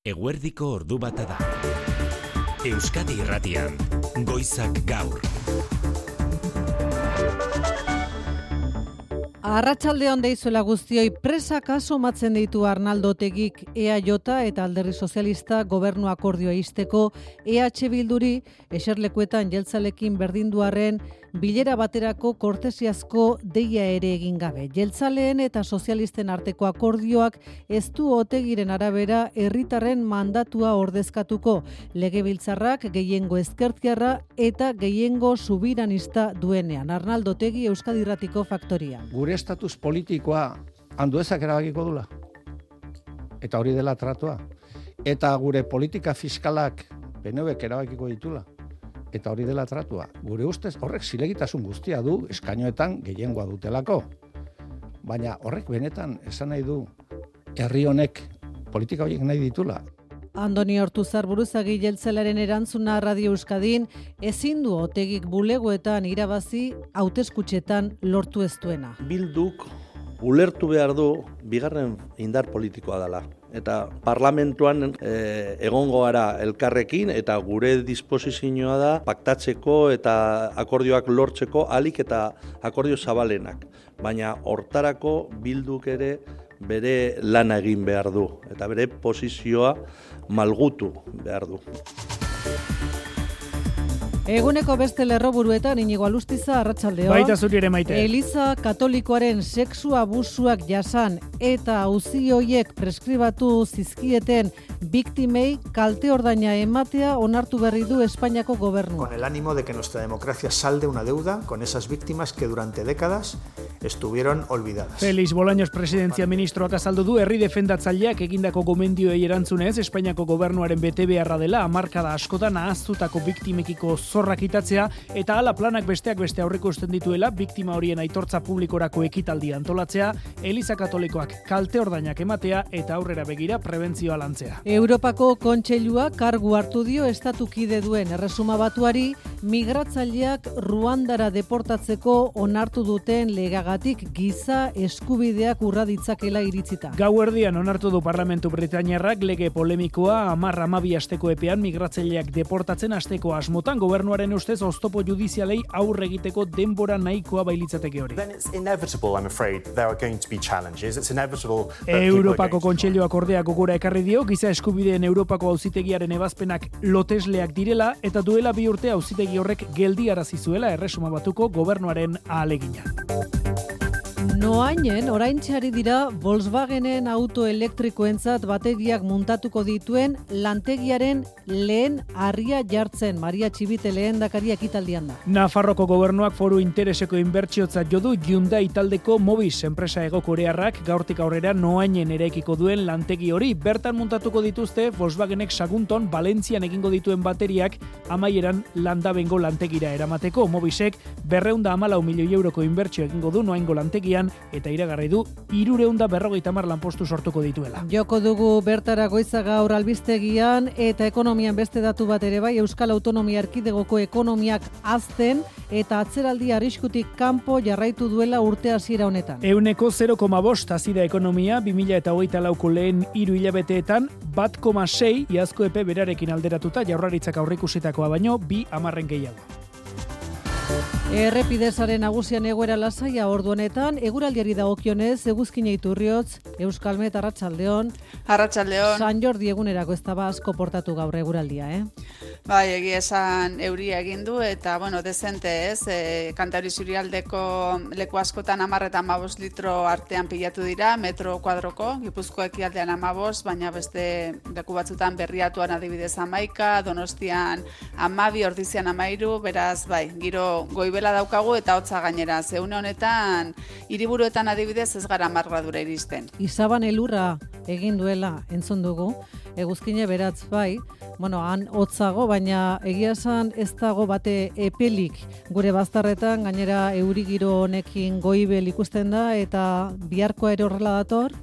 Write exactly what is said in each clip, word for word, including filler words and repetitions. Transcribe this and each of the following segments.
Eguerdiko ordu bata da. Euskadi Irratian, Goizak Gaur. Arratsaldeon deizuela guztioi, presak asomatzen ditu Arnaldo Otegik E A J eta Alderdi Sozialista gobernu akordioa ixteko E H Bilduri eserlekuetan jeltzalekin berdinduarren bilera baterako kortesiazko deia ere egin gabe. Jeltzaleen eta sozialisten arteko akordioak ez du Otegiren arabera herritarren mandatua ordezkatuko. Legebiltzarrak gehiengo ezkertiarra eta gehiengo subiranista duenean. Arnaldo Otegi, Euskadi Irratiko Faktoria. Gure estatus politikoa handuezak erabakiko dula. Eta hori dela tratua. Eta gure politika fiskalak P N Vek erabakiko ditula. Eta hori dela tratua. Gure ustez horrek zilegitasun guztia du eskainoetan gehiengoa dutelako. Baina horrek benetan esan nahi du herri honek politika horiek nahi ditula. Andoni Ortuzar buruzagi jeltzalaren erantzuna Radio Euskadin ezin du Otegik bulegoetan irabazi hauteskutxetan lortu ez duena. Bilduk ulertu behar du bigarren indar politikoa dela. Eta parlamentuan e, egongo gara elkarrekin eta gure disposizioa da paktatzeko eta akordioak lortzeko alik eta akordio zabalenak. Baina hortarako Bilduk ere bere lana egin behar du eta bere posizioa malgutu behar du. Eguneko beste lerroburuetan Inigo Alustiza, arratsaldeon. Baita zuri ere Maite. Eliza Katolikoaren sexu abusuak jasan eta auzi hoiek preskribatu zizkieten biktimei kalte ordaina ematea onartu berri du Espainiako gobernua. Con el ánimo de que nuestra democracia salde una deuda con esas víctimas que durante décadas estuvieron olvidadas. Félix Bolaños presidentzia ministroak azaldu du herri defendatzaileak egindako gomendioei erantzunez Espainiako gobernuaren betebeharra dela hamarkada askotan ahaztutako biktimekiko zorrak itatzea eta hala planak besteak beste aurreikusten dituela biktima horien aitortza publikorako ekitaldia antolatzea, Eliza Katolikoak kalte ordainak ematea eta aurrera begira prebentzioa lantzea. Europako Kontseilua kargu hartu dio estatukide duen erresuma batuari migratzaileak Ruandara deportatzeko onartu duten legagatik giza eskubideak urra ditzakela iritzita. Gauerdian onartu du Parlamentu Britainiarrak lege polemikoa hamar hamabi asteko epean migratzaileak deportatzen asteko asmotan gobernuaren ustez oztopo judizialei aurre egiteko denbora nahikoa bailitzateke hori. Europako Kontseiluak ordea gogora ekarri dio giza eskubideen Europako auzitegiaren ebazpenak lotesleak direla eta duela bi urte auzitegi horrek geldiarazi zuela erresuma batuko gobernuaren ahalegina. Noainen oraintxari dira Volkswagenen auto elektrikoentzat bateriak muntatuko dituen lantegiaren lehen harria jartzen. Maria Txibite lehendakari ekitaldian da. Nafarroko gobernuak foru intereseko inbertsiotzat jo du Hyundai taldeko Mobis enpresa hegokorearrak gaurtik aurrera Noainen eraikiko duen lantegi hori. Bertan muntatuko dituzte Volkswagenek Sagunton Valentzian egingo dituen bateriak amaieran Landabengo lantegira eramateko. Mobisek berrehun eta hamalau milioi euroko inbertsio egingo du Noaingo lantegian eta iragarri du hirurehun eta berrogeita hamar lanpostu sortuko dituela. Joko dugu bertara Goiza Gaur albistegian eta ekonomian beste datu bat ere bai. Euskal Autonomia Erkidegoko ekonomiak hazten eta atzeraldi arriskutik kanpo jarraitu duela urte hasiera honetan. Ehuneko zero koma bost hazi da ekonomia bi mila hogeita lauko lehen hiru hilabeteetan bat koma sei iazko epe berarekin alderatuta Jaurlaritzak aurreikusitakoa baino bi hamarren gehiago. Errepidezaren nagusian egoera lasaia ordu honetan, eguraldiari dagokionez, Eguzkina Iturriotz, Euskalmet, arratsaldeon. Arratsaldeon. San Jordi egunerako ez da asko portatu gaur eguraldia, eh? Bai, egia esan euria egin du eta, bueno, dezente ez, e, Kantauri Zurialdeko leku askotan hamar eta hamabost litro artean pilatu dira, metro kuadroko, Gipuzko ekialdean hamabost, baina beste leku batzutan Berriatuan adibidez hamaika, Donostian hamabi, Ordizian hamairu, beraz, bai, giro goibela daukagu eta hotza gainera. Zeune honetan, hiriburuetan adibidez ez gara hamar gradura iristen. Izaban elurra egin duela entzun dugu, Eguzkine beratz bai, bueno, han hotzago, baina egia esan ez dago bate epelik gure bazterretan, gainera euri giro honekin goibel ikusten da eta biharkoa ere horrela dator?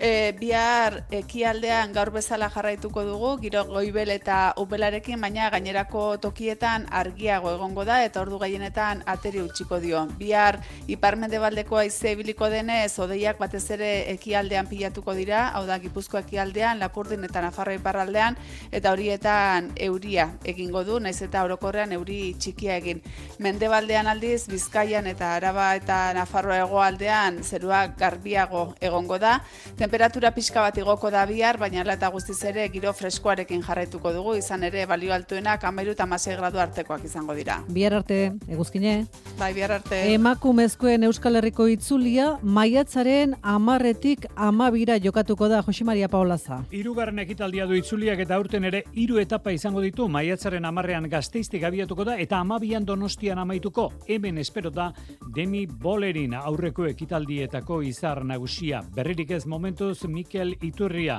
E, bihar ekialdean gaur bezala jarraituko dugu, giro goibel eta upelarekin, baina gainerako tokietan argiago egongo da eta ordu gehienetan ateri utziko dio. Bihar ipar-mendebaldeko haize ibiliko denez, hodeiak batez ere ekialdean pilatuko dira, hau da Gipuzkoa ekialdean, Lapurdin eta Nafarroa iparraldean, eta horietan euria egingo du, naiz eta orokorrean euri txikia egin. Mendebaldean aldiz, Bizkaian eta Araba eta Nafarroa hegoaldean zerua garbiago egongo da. Temperatura pixka bat igoko da bihar, baina ala eta guztiz ere giro freskoarekin jarraituko dugu, izan ere balio altuenak hamairu eta hamasei gradu artekoak izango dira. Bihar arte, eguzkine. Bai, bihar arte. Emakumezkoen Euskal Herriko itzulia maiatzaren hamarretik hamabira jokatuko da, Josi Maria Paolaza. Hirugarren ekitaldia du itzuliak eta aurten ere hiru etapa izango ditu. Maiatzaren hamarrean Gasteiztik abiatuko da eta hamabian Donostian amaituko. Hemen espero da Demi Bolerin aurreko ekitaldietako izar nagusia. Berririk ez momentu Mikel Iturria,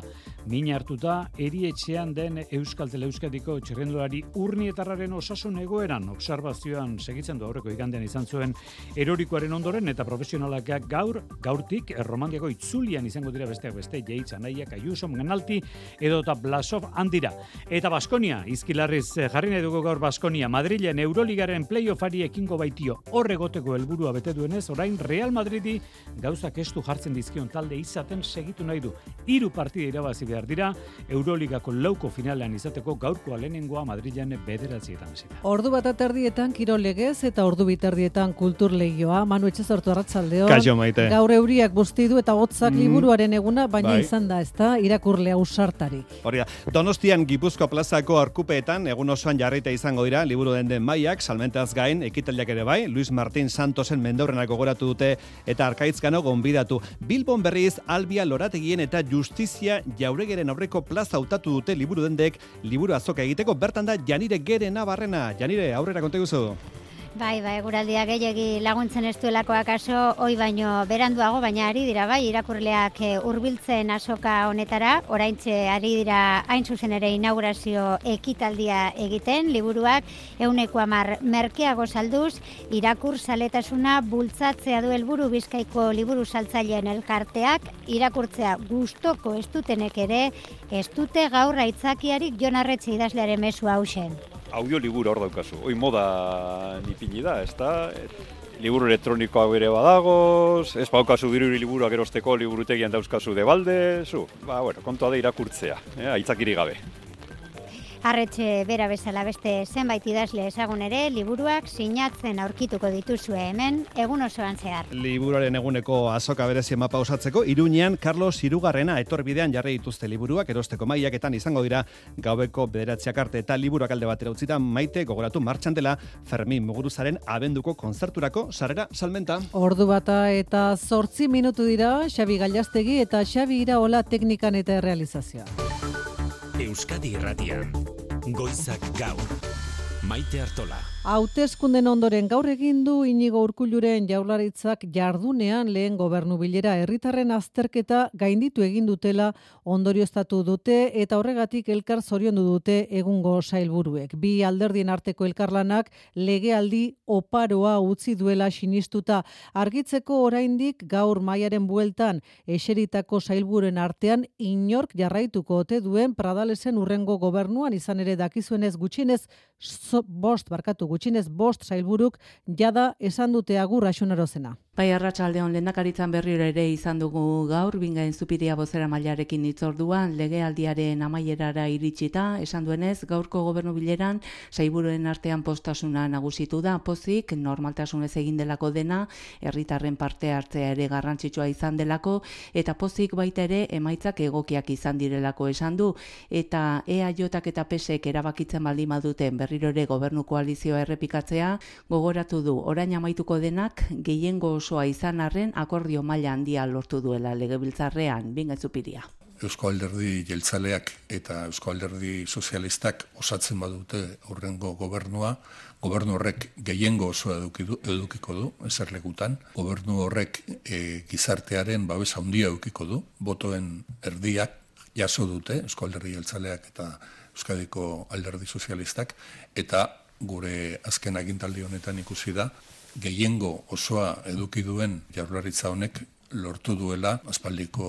min hartuta erietxean den Euskal Teleuskadiko txirrendulari Urnietarraren osasun egoeran obserbazioan segitzen du aurreko igandean izan zuen erorikoaren ondoren eta profesionalak gaur, gaurtik Erromandiako itzulian izango dira besteak beste Jeitz Anaiak, Ayuso, Menalti edota Blasov handira. Eta Baskonia, izkilarriz jarri nahi dugu gaur Baskonia, Madrilen Euroligaren playoffari ekingo baitio horregoteko helburua bete duenez, orain Real Madridi gauzak estu jartzen dizkion talde izaten segitu nahi du. Hiru partida irabazi behar dira, Euroligako lauko finalean izateko gaurkoa lehenengoa Madrilen bederatzietan zita. Ordu bat aterdietan kirol legez eta ordu biterdietan kultur legioa. Manu Etxezortu arratsaldeo. Kaixo Maite. Gaur euriak busti du eta hotzak Mm. liburuaren eguna, baina Bai. izan da, ezta, irakurle ausartarik. Hori da, Donostian Gipuzkoa plazako arkupeetan egun osoan jarraita izango dira liburu den den maiak, salmentaz gain, ekitaldiak ere bai, Luis Martín Santosen mendeurrenak gogoratu dute eta Arkaitzkano gonbidatu. Bilbon berriz Albia Lorategien eta Justizia Jauregeren aurreko plaza hautatu dute liburu dendek liburu azoka egiteko. Bertan da Janire Gerena Barrena. Janire, aurrera konta guzu. Bai, bai, eguraldiak gehiegi laguntzen ez duelakoak aso, hoi baino beranduago, baina ari dira, bai, irakurleak hurbiltzen azoka honetara, oraintxe ari dira hain zuzen ere inaugurazio ekitaldia egiten, liburuak ehuneko hamar merkeago salduz, irakur zaletasuna bultzatzea du helburu Bizkaiko liburu saltzaileen elkarteak, irakurtzea gustoko ez dutenek ere, ez dute gaur aitzakiarik Jon Arretxe idazlearen mesua hausen. Audioliburu hor daukazu, hoi moda nipini da, ez da? Liburu elektronikoa bere badagoz, ez baukazu diruri liburuak erosteko liburutegian dauzkazu debalde, zu, ba, bueno, kontua da irakurtzea, eh, aitzakiri gabe. Arretxe bera bezala beste zenbait idazle ezagun ere, liburuak sinatzen aurkituko dituzue hemen, egun osoan zehar. Liburuaren eguneko azoka berezi mapa osatzeko, Iruñean Carlos Hirugarrena etorbidean jarri dituzte liburuak, erosteko mailaketan izango dira gaueko bederatziak arte eta liburuak alde batera utzita. Maite, gogoratu martxan dela Fermin Muguruzaren abenduko kontzerturako sarrera salmenta. Ordu bata eta zortzi minutu dira, Xabi Gallastegi eta Xabi Iraola teknikan eta errealizazioa. Euskadi Irratian, Goizak Gaur, Maite Artola. Hauteskunden ondoren gaur egin du Inigo Urkulluren Jaurlaritzak jardunean lehen gobernu bilera, herritarren azterketa gainditu egin dutela ondorioztatu dute eta horregatik elkar zoriondu dute egungo sailburuek. Bi alderdien arteko elkarlanak legealdi oparoa utzi duela sinistuta, argitzeko oraindik gaur maiaren bueltan eseritako sailburuen artean inork jarraituko ote duen Pradalesen urrengo gobernuan, izan ere dakizuenez gutxienez so, bost barkatu gutxinez bost sailburuk jada esan dute agur Axunarozena. Bai, arratsaldeon lehendakaritzan berriro ere izan dugu gaur, Bingain Zupiria bozera mailarekin hitzorduan, legealdiaren amaierara iritsita, esan duenez, gaurko gobernu bileran, sailburuen artean postasuna nagusitu da, pozik, normaltasunez egin delako dena, herritarren parte hartzea ere garrantzitsua izan delako, eta pozik baita ere emaitzak egokiak izan direlako esan du, eta E A Jak eta P S ek erabakitzen baldin baduten berriro ere gobernu koalizioa errepikatzea, gogoratu du, orain amaituko denak, gehiengo osoa izan arren akordio maila handia lortu duela legebiltzarrean. Bingain Zupiria. Eusko Alderdi Jeltzaleak eta Eusko Alderdi Sozialistak osatzen badute aurrengo gobernua, gobernu horrek gehiengo osoa edukidu, edukiko du, eserlekutan. Gobernu horrek e, gizartearen babes handia edukiko du, botoen erdiak jaso dute, Eusko Alderdi Jeltzaleak eta Euskadiko Alderdi Sozialistak, eta gure azken agintaldi honetan ikusi da, gehiengo osoa eduki duen Jaurlaritza honek lortu duela aspaldiko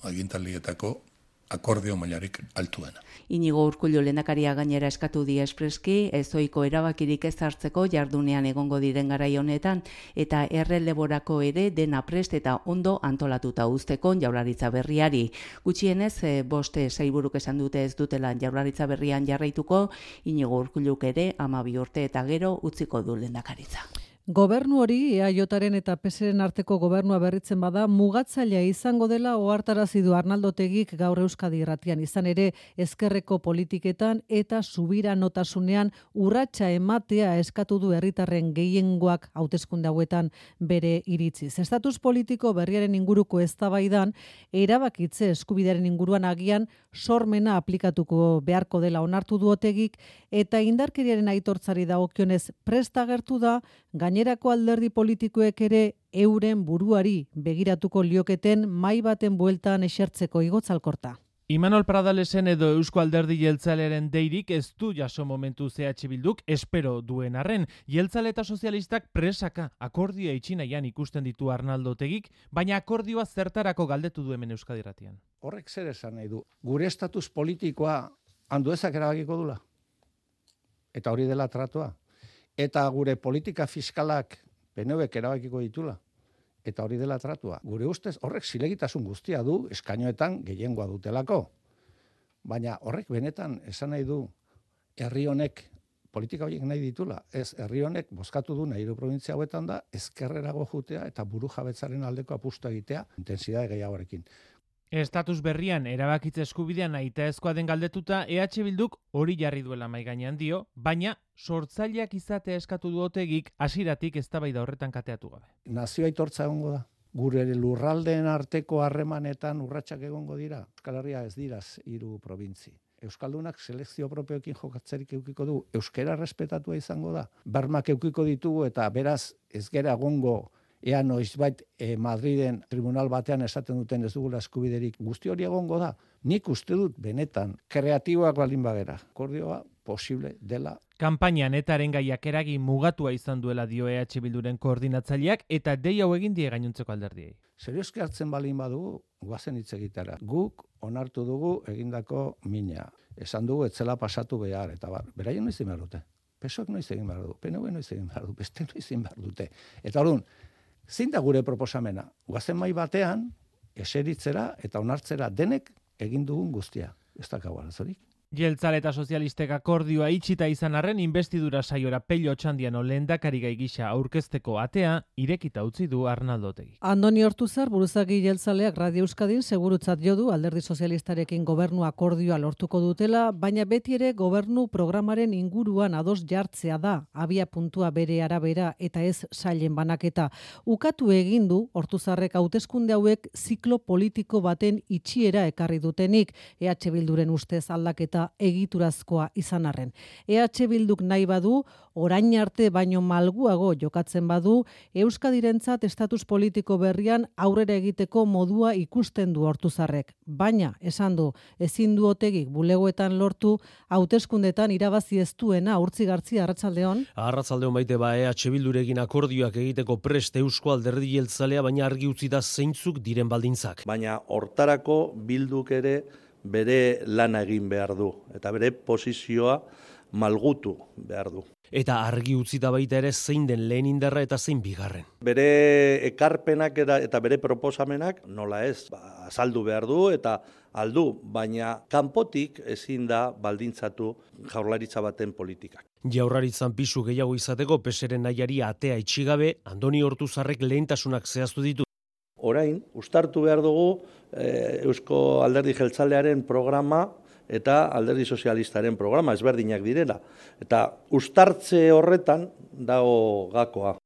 agintaldietako akordio mailarik altuena. Inigo Urkullu lehendakaria gainera eskatu die espreski, ezoiko erabakirik ez hartzeko jardunean egongo diren garai honetan, eta erreleborako ere dena prest eta ondo antolatuta uzteko jaurlaritza berriari. Gutxienez, e, boste sailburuk esan dute ez dutela jaurlaritza berrian jarraituko, Inigo Urkulluk ere hamabi urte eta gero utziko du lehendakaritza. Gobernu hori E A Jaren eta P S Ren arteko gobernua berritzen bada mugatzailea izango dela ohartarazi du Arnaldo Otegik gaur Euskadi Irratian. Izan ere ezkerreko politiketan eta subiranotasunean urratsa ematea eskatu du herritarren gehiengoak hauteskunde hauetan bere iritziz. Estatus politiko berriaren inguruko eztabaidan erabakitze eskubidearen inguruan agian sormena aplikatuko beharko dela onartu du Otegik eta indarkeriaren aitortzari dagokionez prest agertu da gainerako alderdi politikoek ere euren buruari begiratuko lioketen mai baten bueltan esertzeko igotzalkorta. Imanol Pradalesen edo Eusko Alderdi Jeltzalearen deirik ez du jaso momentu C H Bilduk espero duen arren. Jeltzale eta sozialistak presaka akordioa itxinaian ikusten ditu Arnaldo Otegik, baina akordioa zertarako galdetu du hemen Euskadi Irratian. Horrek zer esan nahi du? Gure estatus politikoa Anduezak erabakiko dula. Eta hori dela tratua. Eta gure politika fiskalak P N Vek erabakiko ditula. Eta hori dela tratua. Gure ustez horrek zilegitasun guztia du eskainoetan gehiengoa dutelako. Baina horrek benetan esan nahi du herri honek politika horiek nahi ditula. Ez herri honek bozkatu du nahi du provintzia hauetan da ezkerrerago jutea eta buru jabetzaren aldeko apustu egitea intensitate gehiagorekin. Estatus berrian erabakitze eskubidean nahitaezkoa den galdetuta E H Bilduk hori jarri duela mahai gainean dio, baina sortzaileak izatea eskatu du Otegik hasieratik eztabaida horretan kateatu gabe. Nazio aitortza egongo da. Gure lurraldeen arteko harremanetan urratsak egongo dira. Euskal Herria ez dira hiru probintzi. Euskaldunak selekzio propioekin jokatzerik eukiko du. Euskara respetatua izango da. Bermak eukiko ditugu eta beraz ez gera egongo ea noizbait e, Madriden tribunal batean esaten duten ez dugula eskubiderik. Guzti hori egongo da. Nik uste dut benetan kreatiboak balin bagera. Akordioa posible dela. Kanpainan etaren gaiak eragin mugatua izan duela dio E H Bilduren koordinatzaileak eta dei hau egin die gainontzeko alderdiei. Serioski hartzen balin badugu, guazen hitz egitara. Guk onartu dugu egindako mina. Esan dugu etzela pasatu behar, eta bar, beraien noiz egin behar dute. P SOk noiz egin behar du, P N V noiz egin behar du, beste noiz egin behar dute. Eta orduan, zein da gure proposamena? Guazen mai batean, eseritzera eta onartzera denek egin dugun guztia. Ez dakago arazorik. Jeltzale eta sozialistek akordioa itxita izan arren investidura saiora Pello Otxandiano lehendakari gai gisa aurkezteko atea irekita utzi du Arnaldo Otegi. Andoni Ortuzar buruzagi jeltzaleak Radio Euskadin segurutzat jo du alderdi sozialistarekin gobernu akordioa lortuko dutela, baina beti ere gobernu programaren inguruan ados jartzea da, abia puntua bere arabera eta ez sailen banaketa. Ukatu egin du Ortuzarrek hauteskunde hauek ziklo politiko baten itxiera ekarri dutenik, E H Bilduren ustez aldaketa egiturazkoa izan arren. E H Bilduk nahi badu, orain arte baino malguago jokatzen badu, Euskadirentzat estatus politiko berrian aurrera egiteko modua ikusten du Ortuzarrek. Baina, esan du, ezin du Otegik bulegoetan lortu, hauteskundetan irabazi ez duena urtzigartzi arratsaldeon. Arratsaldeon baite ba E H Bildurekin akordioak egiteko prest Eusko Alderdi Jeltzalea, baina argi utzi da zeintzuk diren baldintzak. Baina hortarako Bilduk ere bere lana egin behar du, eta bere posizioa malgutu behar du. Eta argi utzi da baita ere zein den lehen indarra eta zein bigarren. Bere ekarpenak eta bere proposamenak nola ez, ba, azaldu behar du eta aldu, baina kanpotik ezin da baldintzatu jaurlaritza baten politikak. Jaurlaritzan pisu gehiago izateko P S Ren nahiari atea itxigabe, Andoni Ortuzarrek lehentasunak zehaztu ditu. Orain, uztartu behar dugu eh, Eusko Alderdi Jeltzalearen programa eta Alderdi Sozialistaren programa, ezberdinak direla. Eta uztartze horretan dago gakoa.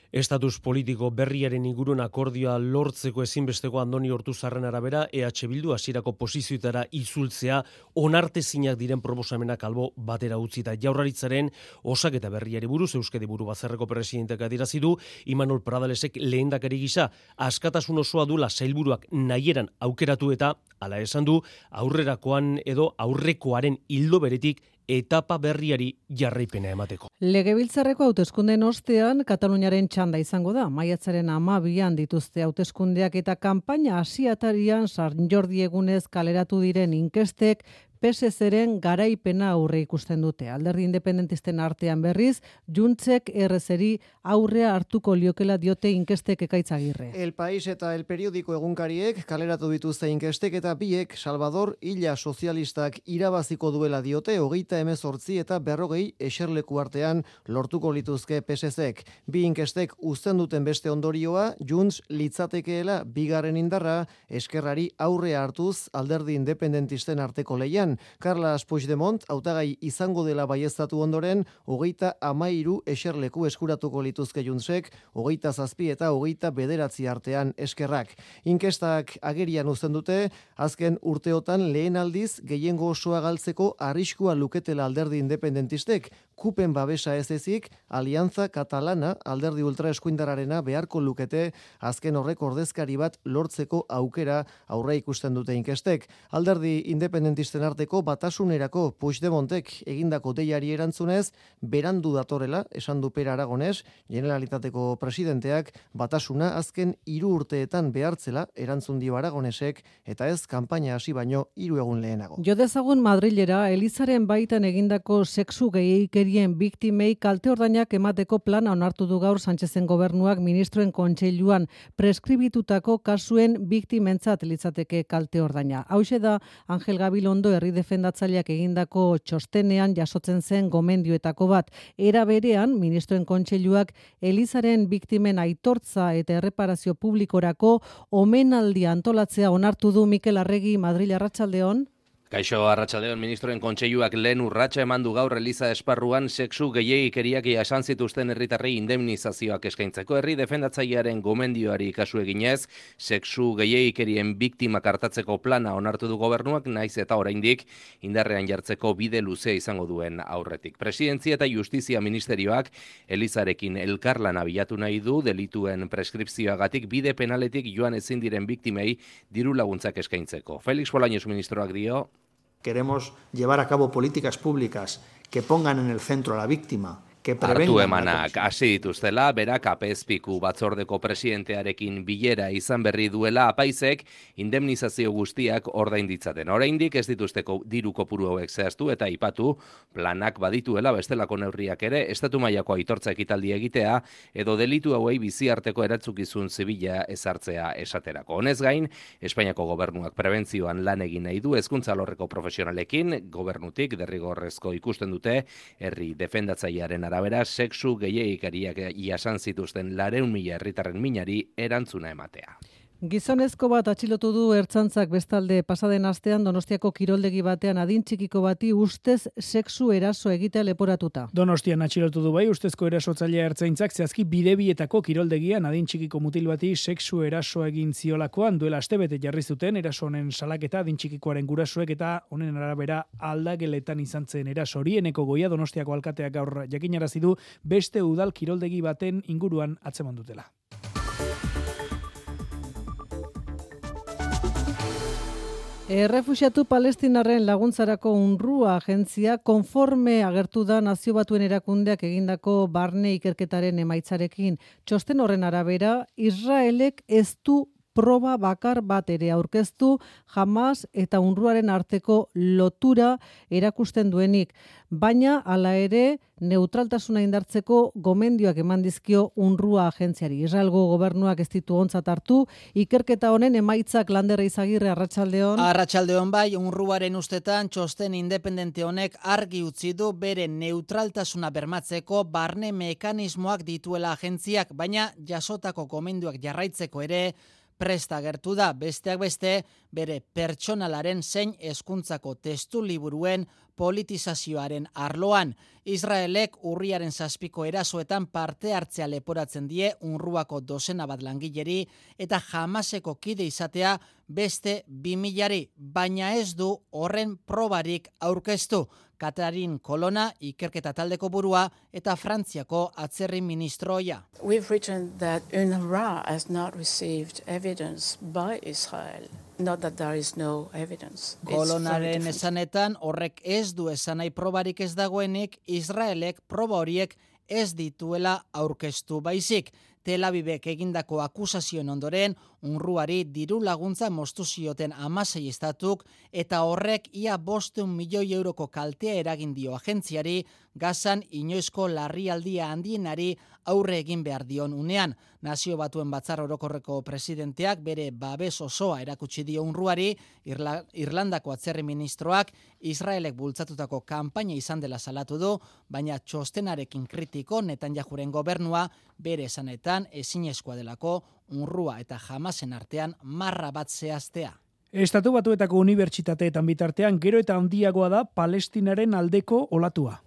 Estatus politiko berriaren inguruan akordioa lortzeko ezinbesteko Andoni Ortuzarren arabera E H Bildu hasierako posizioetara itzultzea onartezinak diren proposamenak albo batera utzita. Jaurlaritzaren osaketa berriari buruz Euskadi Buru Batzarreko presidenteak adierazi du Imanol Pradalesek lehendakari gisa askatasun osoa dula sailburuak nahieran aukeratu eta hala esan du aurrerakoan edo aurrekoaren ildo beretik etapa berriari jarraipena emateko. Legebiltzarreko hauteskundeen ostean Kataluniaren txanda izango da. Maiatzaren hamabian dituzte hauteskundeak eta kanpaina hasiatarian San Jordi egunez kaleratu diren inkestek P S Z-ren garaipena aurre ikusten dute. Alderdi independentisten artean berriz, Juntzek errezeri aurrea hartuko liokela diote inkestek Ekaitzagirre. El País eta El Periódico egunkariek kaleratu dituzte inkestek eta biek Salvador Illa sozialistak irabaziko duela diote hogeita hemezortzi eta berrogei eserleku artean lortuko lituzke P S Z-ek. Bi inkestek uzten duten beste ondorioa, Junts litzatekeela bigarren indarra eskerrari aurrea hartuz alderdi independentisten arteko leian. Carles Puigdemont hautagai izango dela baieztatu ondoren, hogeita hamairu eserleku eskuratuko lituzke Juntsek, hogeita zazpi eta hogeita bederatzi artean eskerrak. Inkestak agerian uzten dute, azken urteotan lehen aldiz gehiengo osoa galtzeko arriskua luketela alderdi independentistek, kupen babesa ez ezik, Alianza Catalana alderdi ultraeskuindararena beharko lukete azken horrek ordezkari bat lortzeko aukera aurre ikusten dute inkestek. Alderdi independentisten arteko batasunerako Puigdemontek egindako deiari erantzunez, berandu datorela, esan du Pere Aragones, Generalitateko presidenteak batasuna azken hiru urteetan behartzela erantzun dio Aragonesek eta ez kanpaina hasi baino hiru egun lehenago. Jo dezagun Madrilera Elizaren baitan egindako sexu gehieikerien biktimei kalte ordainak emateko plana onartu du gaur Sánchezen gobernuak ministroen kontseiluan preskribitutako kasuen biktimentzat litzateke kalte ordaina. Hauxe da Angel Gabilondo herri defendatzaileak egindako txostenean jasotzen zen gomendioetako bat. Era berean, ministroen kontseiluak Elizaren biktimen aitortza eta erreparazio publikorako omenaldia antolatzea onartu du. Mikel Arregi, Madril, arratsaldeon. Kaixo, arratsaldeon, ministroen kontseiluak lehen urratsa eman du gaur Eliza esparruan sexu gehiegikeriak jasan zituzten herritarrei indemnizazioak eskaintzeko. Herri defendatzailearen gomendioari kasu eginez, sexu gehiegikerien biktimak hartatzeko plana onartu du gobernuak, naiz eta oraindik indarrean jartzeko bide luzea izango duen aurretik. Presidentzia eta Justizia ministerioak Elizarekin elkarlana bilatu nahi du delituen preskripzioagatik bide penaletik joan ezin diren biktimei diru laguntzak eskaintzeko. Felix Bolaños ministroak dio: Queremos llevar a cabo políticas públicas que pongan en el centro a la víctima, que prevengan. Hartu emanak hasi dituztela, berak apezpiku batzordeko presidentearekin bilera izan berri duela apaizek indemnizazio guztiak ordain ditzaten. Oraindik ez dituzteko diru kopuru hauek zehaztu eta aipatu planak badituela bestelako neurriak ere, estatu mailako aitortza ekitaldi egitea edo delitu hauei biziarteko erantzukizun zibila ezartzea esaterako. Honez gain, Espainiako gobernuak prebentzioan lan egin nahi du hezkuntza alorreko profesionalekin, gobernutik derrigorrezko ikusten dute herri defendatzailearen arabera sexu gehiegikeriak jasan zituzten lareun mila herritarren minari erantzuna ematea. Gizonezko bat atxilotu du Ertzaintzak bestalde pasaden astean Donostiako kiroldegi batean adin txikiko bati ustez sexu eraso egitea leporatuta. Donostian atxilotu du bai ustezko erasotzailea Ertzaintzak zehazki bidebietako kiroldegian adin txikiko mutil bati sexu eraso egin ziolakoan duela astebete jarri zuten eraso honen salaketa adin txikikoaren gurasoek eta honen arabera aldageletan izan zen eraso hori. Eneko Goia Donostiako alkateak gaur jakinarazi du beste udal kiroldegi baten inguruan atzeman dutela. Errefuxiatu palestinarren laguntzarako UNRWA agentzia konforme agertu da Nazio Batuen erakundeak egindako barne ikerketaren emaitzarekin. Txosten horren arabera, Israelek ez du proba bakar bat ere aurkeztu Hamas eta UNRWAren arteko lotura erakusten duenik, baina hala ere neutraltasuna indartzeko gomendioak eman dizkio UNRWA agentziari. Israelgo gobernuak ez ditu ontzat hartu, ikerketa honen emaitzak Lander Izagirre, arratsaldeon. Arratsaldeon bai, UNRWAren ustetan txosten independente honek argi utzi du bere neutraltasuna bermatzeko barne mekanismoak dituela agentziak, baina jasotako gomendioak jarraitzeko ere presta gertu da, besteak beste, bere pertsonalaren zein hezkuntzako testu liburuen politizazioaren arloan. Israelek urriaren zazpiko erasoetan parte hartzea leporatzen die UNRWAko dozena bat langileri eta Hamaseko kide izatea beste bi milari, baina ez du horren probarik aurkeztu. Katarin Kolona, ikerketa taldeko burua eta Frantziako atzerri ministroia. We've written that UNRWA has not received evidence by Israel not that there is no evidence. Kolonaren esanetan horrek ez du esan nahi probarik ez dagoenik, Israelek proba horiek ez dituela aurkeztu baizik. Tel Avivek egindako akusazioen ondoren, UNRWAri diru laguntza moztu zioten hamasei estatuk eta horrek ia bostehun milioi euroko kaltea eragin dio agentziari, Gazan inoizko larrialdia handienari aurre egin behar dion unean. Nazio Batuen Batzar Orokorreko presidenteak bere babes osoa erakutsi dio UNRWAri, Irla, Irlandako atzerri ministroak Israelek bultzatutako kanpaina izan dela salatu du, baina txostenarekin kritiko Netanyahuren gobernua bere esanetan ezinezkoa delako UNRWA eta Hamasen artean marra bat zehaztea. Estatu Batuetako unibertsitateetan bitartean gero eta handiagoa da Palestinaren aldeko olatua.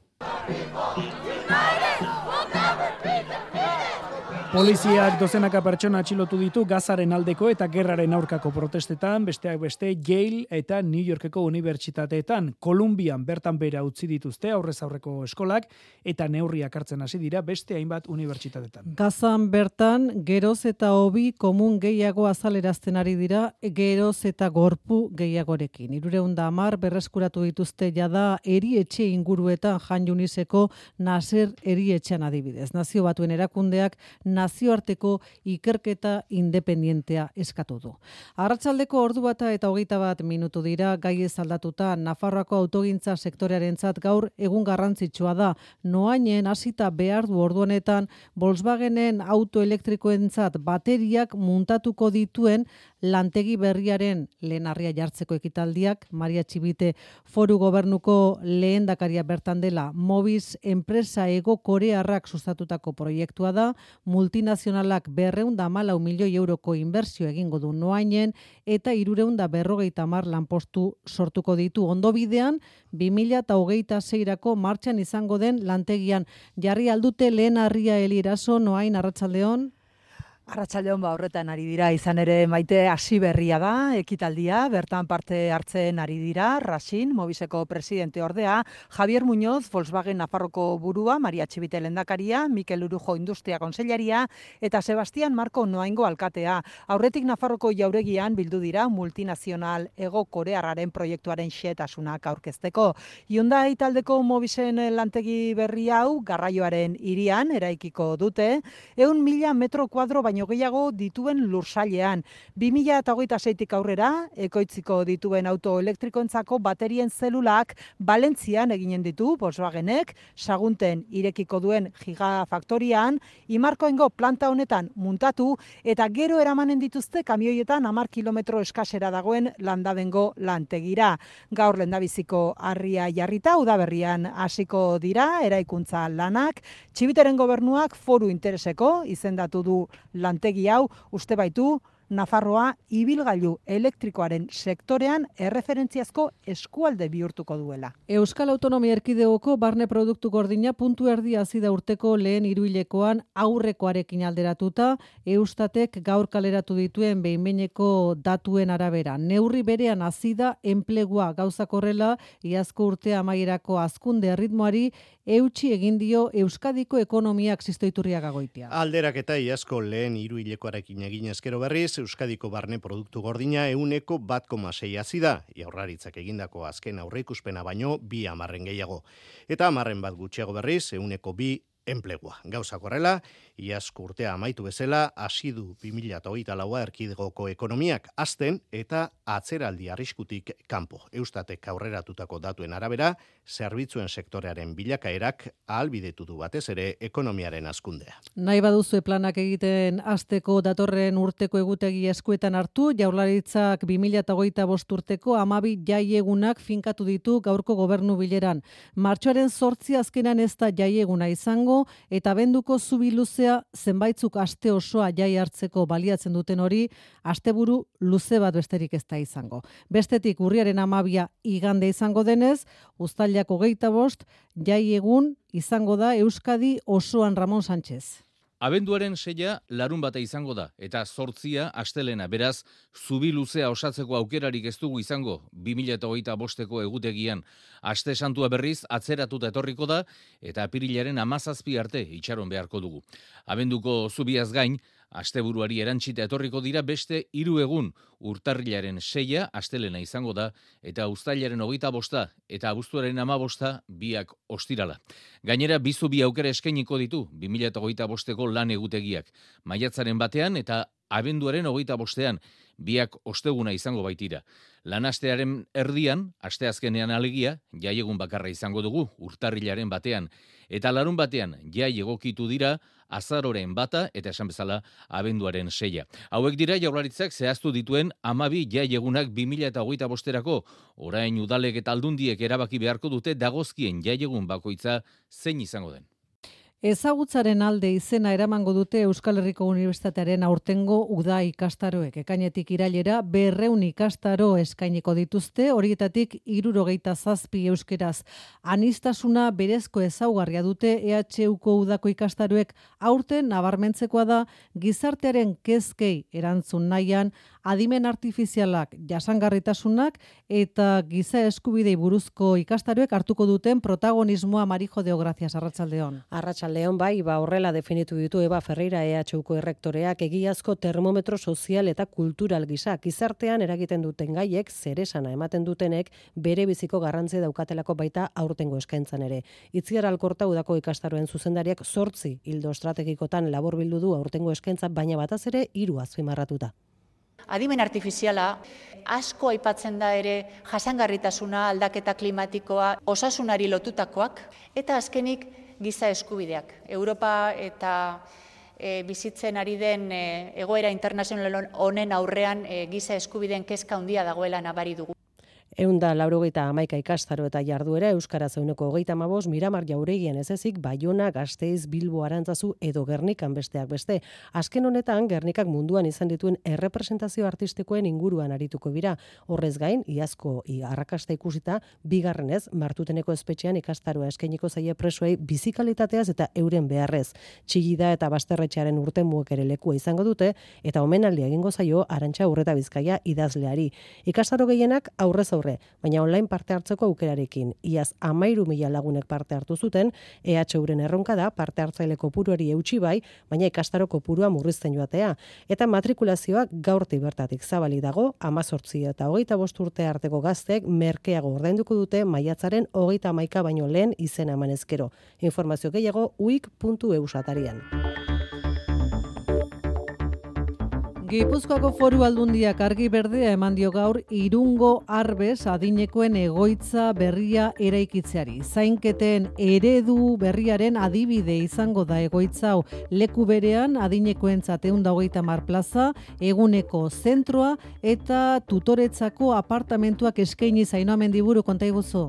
Poliziak dozenaka pertsona atxilotu ditu Gazaren aldeko eta gerraren aurkako protestetan, besteak beste Yale eta New Yorkeko unibertsitateetan. Kolumbian bertan bera utzi dituzte aurrez aurreko eskolak eta neurriak hartzen hasi dira beste hainbat unibertsitatetan. Gazan bertan geroz eta hobi komun gehiago azalerazten ari dira, geroz eta gorpu gehiagorekin. Hirurehun eta hamar berreskuratu dituzte jada erietxe inguruetan Jan Yuniseko Nasser erietxean adibidez. Nazio Batuen erakundeak nazioarteko ikerketa independientea eskatu du. Arratsaldeko ordu bata eta hogeita bat minutu dira, gai ez aldatuta Nafarroako autogintza sektorearentzat gaur egun garrantzitsua da. Noainen hasita behar du ordu honetan Volkswagenen autoelektrikoentzat bateriak muntatuko dituen lantegi berriaren lehenarria jartzeko ekitaldiak. Maria Txibite Foru Gobernuko lehendakaria bertan dela. Mobiz enpresa ego korearrak sustatutako proiektua da, multinazionalak berrehun eta hamalau milioi euroko inbertsio egingo du Noainen eta hirurehun eta berrogeita hamar lanpostu sortuko ditu. Ondo bidean, bi mila hogeita seirako martxan izango den lantegian. Jarri aldute lehen harria Eliraso, Noain, arratsaldeon. Arratsaldeon ba horretan ari dira, izan ere Maite hasi berria da ekitaldia, bertan parte hartzen ari dira Rasin, Mobiseko presidente ordea, Javier Muñoz, Volkswagen Nafarroko burua, Maria Txibite lehendakaria, Mikel Urujo Industria Kontseilaria eta Sebastian Marko Noaingo alkatea. Aurretik Nafarroko jauregian bildu dira multinazional ego korearraren proiektuaren xehetasunak aurkezteko. Hyundai taldeko Mobisen lantegi berri hau garraioaren hirian eraikiko dute, ehun mila metro kuadro baino gehiago dituen lursailean. bi mila hogeita seitik aurrera, ekoitziko dituen auto elektrikoentzako baterien zelulak Valentzian eginen ditu Volkswagenek, Sagunten irekiko duen gigafaktorian, Imarkoengo planta honetan muntatu eta gero eramanen dituzte kamioietan hamar kilometro eskasera dagoen Landabengo lantegira. Gaur lehendabiziko harria jarrita, udaberrian hasiko dira eraikuntza lanak. Txibiteren gobernuak foru intereseko izendatu du lantegi hau, uste baitu Nafarroa ibilgailu elektrikoaren sektorean erreferentziazko eskualde bihurtuko duela. Euskal Autonomia Erkidegoko barne produktu gordina puntu erdi hasi da urteko lehen hiruhilekoan aurrekoarekin alderatuta, Eustatek gaur kaleratu dituen behin-behineko datuen arabera. Neurri berean hasi da enplegua, gauzak horrela, iazko urte amaierako hazkunde erritmoari eutsi egin dio Euskadiko ekonomiak Sistoiturriaga Goitia. Alderaketa iazko lehen hiruhilekoarekin egin ezkero berriz, Euskadiko barne produktu gordina ehuneko bat koma sei hazi da, Jaurlaritzak egindako azken aurreikuspena baino bi hamarren gehiago. Eta hamarren bat gutxiago berriz, ehuneko bi enplegua. Gauzak horrela, iazko urtea amaitu bezala, hasi du bi mila hogeita laua erkidegoko ekonomiak hazten eta atzeraldi arriskutik kanpo. Eustatek aurreratutako datuen arabera, zerbitzuen sektorearen bilakaerak ahalbidetu du batez ere ekonomiaren hazkundea. Nahi baduzue planak egiten hasteko datorren urteko egutegi eskuetan hartu, Jaurlaritzak bi mila hogeita bost urteko hamabi jaiegunak finkatu ditu gaurko gobernu bileran. Martxoaren zortzi azkenan ez da jaieguna izango, eta abenduko zubi luzea zenbaitzuk aste osoa jai hartzeko baliatzen duten hori, asteburu luze bat besterik ez da izango. Bestetik urriaren hamabia igande izango denez, uztailak hogeita bost jai egun izango da Euskadi osoan Ramon Sánchez. Abenduaren seia larun bata izango da, eta zortzia astelena, beraz, zubi luzea osatzeko aukerarik ez dugu izango, bi mila hogeita bosteko egutegian. Aste santua berriz atzeratuta etorriko da, eta apirilaren hamazazpi arte itxaron beharko dugu. Abenduko zubiaz gain, Asteburuari erantzita etorriko dira beste hiru egun, urtarrilaren seia astelena izango da, eta uztailaren hogeita bosta eta abuztuaren hamabosta biak ostirala. Gainera, bizu bi aukera eskainiko ditu bi mila hogeita bosteko lan egutegiak. Maiatzaren batean eta abenduaren hogeita bostean, biak osteguna izango baitira. Lanastearen erdian, asteazkenean alegia, jaiegun bakarra izango dugu, urtarrilaren batean, eta larun batean, jai egokitu dira, azaroren bata eta esan bezala abenduaren seia. Hauek dira Jaurlaritzak zehaztu dituen hamabi jaiegunak bi mila hogeita bosterako, orain udalek eta aldundiek erabaki beharko dute dagozkien jaiegun bakoitza zein izango den. Ezagutzaren alde izena eramango dute Euskal Herriko Unibertsitatearen aurtengo uda ikastaroek. Ekainetik irailera berrehun ikastaro eskainiko dituzte, horietatik hirurogeita zazpi euskeraz. Anistasuna berezko ezaugarria dute E H Uko udako ikastaroek, aurten nabarmentzekoa da gizartearen kezkei erantzun nahian, adimen artifizialak, jasangarritasunak eta giza eskubidei buruzko ikastaroek hartuko duten protagonismoa. Marijo Deo, gracias, arratsaldeon. Arratsaldeon, bai, ba horrela definitu ditu Eba Ferreira E H Uko errektoreak, egiazko termometro sozial eta kultural gisa gizartean eragiten duten gaiek, zeresana ematen dutenek, bere biziko garrantzia daukatelako baita aurtengo eskaintzan ere. Itziar Alkorta udako ikastaroen zuzendariak zortzi ildo estrategikotan laburbildu du aurtengo eskaintza, baina bataz ere hiru azpimarratuta. Adimen artifiziala, asko aipatzen da ere jasangarritasuna, aldaketa klimatikoa, osasunari lotutakoak, eta azkenik giza eskubideak. Europa eta e, bizitzen ari den e, egoera internazional honen aurrean e, giza eskubideen kezka handia dagoela nabari dugu. Eunda laurogeita hamaika ikastaro eta jarduera euskaraz ehuneko hogeita hamabost, Miramar Jauregian ez ezik, Baiona, Gasteiz, Bilbo, Arantzazu edo Gernikan besteak beste. Azken honetan, Gernikak munduan izan dituen errepresentazio artistikoen inguruan arituko dira. Horrez gain, iazko arrakasta ikusita, bigarrenez, Martuteneko espetxean ikastaroa eskainiko zaie presoei bizikalitateaz eta euren beharrez. Txillida eta Basterretxearen urtemuek ere lekua izango dute, eta omenaldia egingo zaio Arantxa Urreta Bizkaia idazleari. Ikastaro gehienak aurrez aurre, baina online parte hartzeko aukerarekin. Iaz hamairu mila lagunek parte hartu zuten, E H Uren erronka da parte hartzaile kopuruari eutsi bai, baina ikastaro kopurua murrizten joatea. Eta matrikulazioak gaurtik bertatik zabali dago, hamazortzi eta hogeita bost urte arteko gazteek merkeago ordainduko dute maiatzaren hogeita hamaika baino lehen izena eman ezkero. Informazio gehiago uik puntu eus atarian. Gipuzkoako Foru Aldundiak argi berdea eman dio gaur Irungo Arbes adinekoen egoitza berria eraikitzeari. Zainketen eredu berriaren adibide izango da egoitza hau. Leku berean adinekoentzat ehun eta hogeita hamar plaza, eguneko zentroa eta tutoretzako apartamentuak eskaini Zainoa Mendiburu, konta iguzu.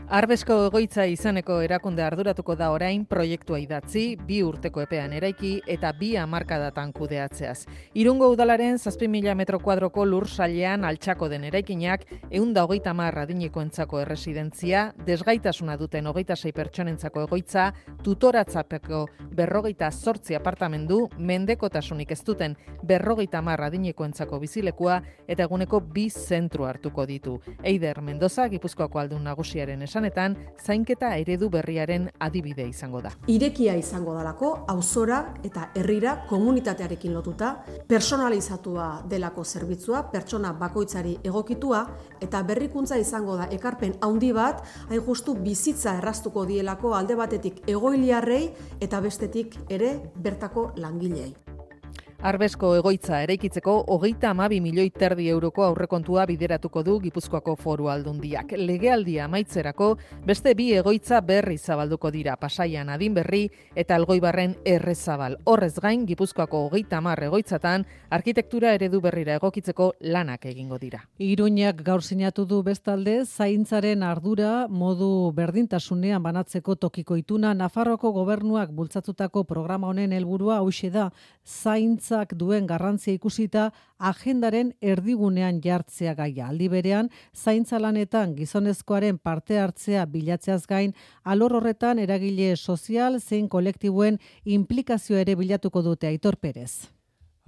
Arbesko egoitza izaneko erakunde arduratuko da orain proiektua idatzi, bi urteko epean eraiki eta bi hamarkadatan kudeatzeaz. Irungo udalaren zazpi mila metro kuadroko lur sailean altxako den eraikinak, ehun eta hogeita hamar adinekoentzako erresidentzia, desgaitasuna duten hogeita sei pertsonentzako egoitza, tutoratzapeko berrogeita zortzi apartamendu, mendekotasunik ez duten berrogeita hamar adinekoentzako bizilekua eta eguneko bi zentru hartuko ditu. Eider Mendoza, Gipuzkoako aldun nagusiaren esan esanetan, zainketa eredu berriaren adibide izango da. Irekia izango dalako, auzora eta herrira komunitatearekin lotuta, personalizatua delako zerbitzua, pertsona bakoitzari egokitua, eta berrikuntza izango da ekarpen handi bat, hain justu bizitza erraztuko dielako alde batetik egoiliarrei eta bestetik ere bertako langilei. Arbesko egoitza eraikitzeko hogeita hamabi milioi terdi euroko aurrekontua bideratuko du Gipuzkoako Foru Aldundiak. Legealdia amaitzerako beste bi egoitza berri zabalduko dira, Pasaian Adinberri eta Elgoibarren Errezabal. Horrez gain, Gipuzkoako hogeita hamar egoitzatan arkitektura eredu berrira egokitzeko lanak egingo dira. Iruñak gaur sinatu du bestalde zaintzaren ardura modu berdintasunean banatzeko tokiko ituna. Nafarroako gobernuak bultzatutako programa honen helburua hauxe da, zaintza duen garrantzia ikusita agendaren erdigunean jartzea gaia. Aldi berean, zaintza lanetan gizonezkoaren parte hartzea bilatzeaz gain, alor horretan eragile sozial zein kolektiboen implikazio ere bilatuko dute. Aitor Perez.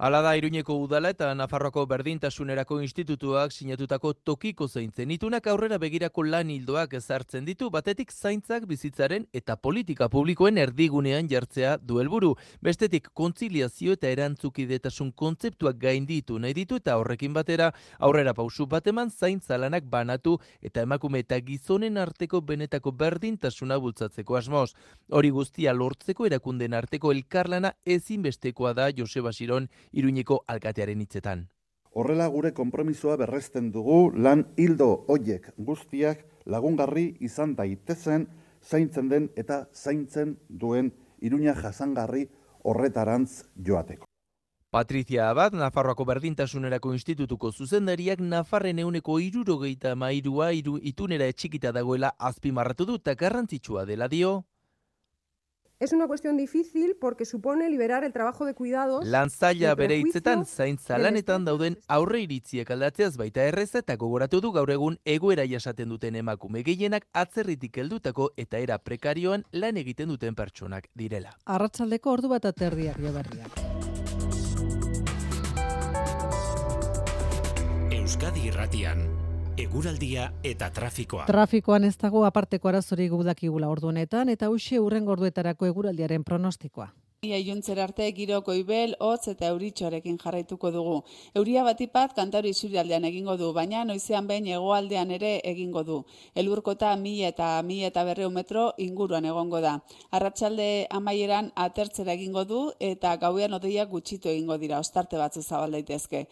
Hala da Iruñeko udala eta Nafarroako berdintasunerako institutuak sinatutako tokiko zaintzen itunak aurrera begirako lan hildoak ezartzen ditu, batetik zaintzak bizitzaren eta politika publikoen erdigunean jartzea du helburu. Bestetik kontziliazio eta erantzukidetasun kontzeptuak gainditu nahi ditu eta horrekin batera aurrera pausu bat eman zaintza lanak banatu eta emakume eta gizonen arteko benetako berdintasuna bultzatzeko asmoz. Hori guztia lortzeko erakunden arteko elkarlana ezinbestekoa da Joseba Siron Iruñeko alkatearen hitzetan. Horrela gure konpromisoa berresten dugu lan hildo hoiek guztiak lagungarri izan daitezen zaintzen den eta zaintzen duen Iruña jasangarri horretarantz joateko. Patricia Abad, Nafarroako berdintasunerako institutuko zuzendariak Nafarren euneko hirurogeita hamairua iru itunera etxikita dagoela azpimarratu du eta garrantzitsua dela dio. Es una cuestión difícil porque supone liberar el trabajo de cuidados. Lantzaila bere hitzetan zaintza lanetan dauden aurre iritziak aldatzeaz baita erreza eta gogoratu du gaur egun egoera jasaten duten emakume gehienak atzerritik heldutako eta era prekarioan lan egiten duten pertsonak direla. Arratsaldeko ordu bat aterdiak joberriak. Euskadi Irratian eguraldia eta trafikoa. Trafikoan ez dago aparteko arazorik gudakigula ordu honetan eta hoxe hurrengo orduetarako eguraldiaren pronostikoa. Iluntzer arte giro goibel, hotz eta euritxoarekin jarraituko dugu. Euria batipat Kantauri isurialdean egingo du, baina noizean behin hegoaldean ere egingo du. Elurkota mila eta mila eta berrehun metro inguruan egongo da. Arratsalde amaieran atertzera egingo du eta gauean hodeiak gutxitu egingo dira, ostarte batzu zabal daitezke.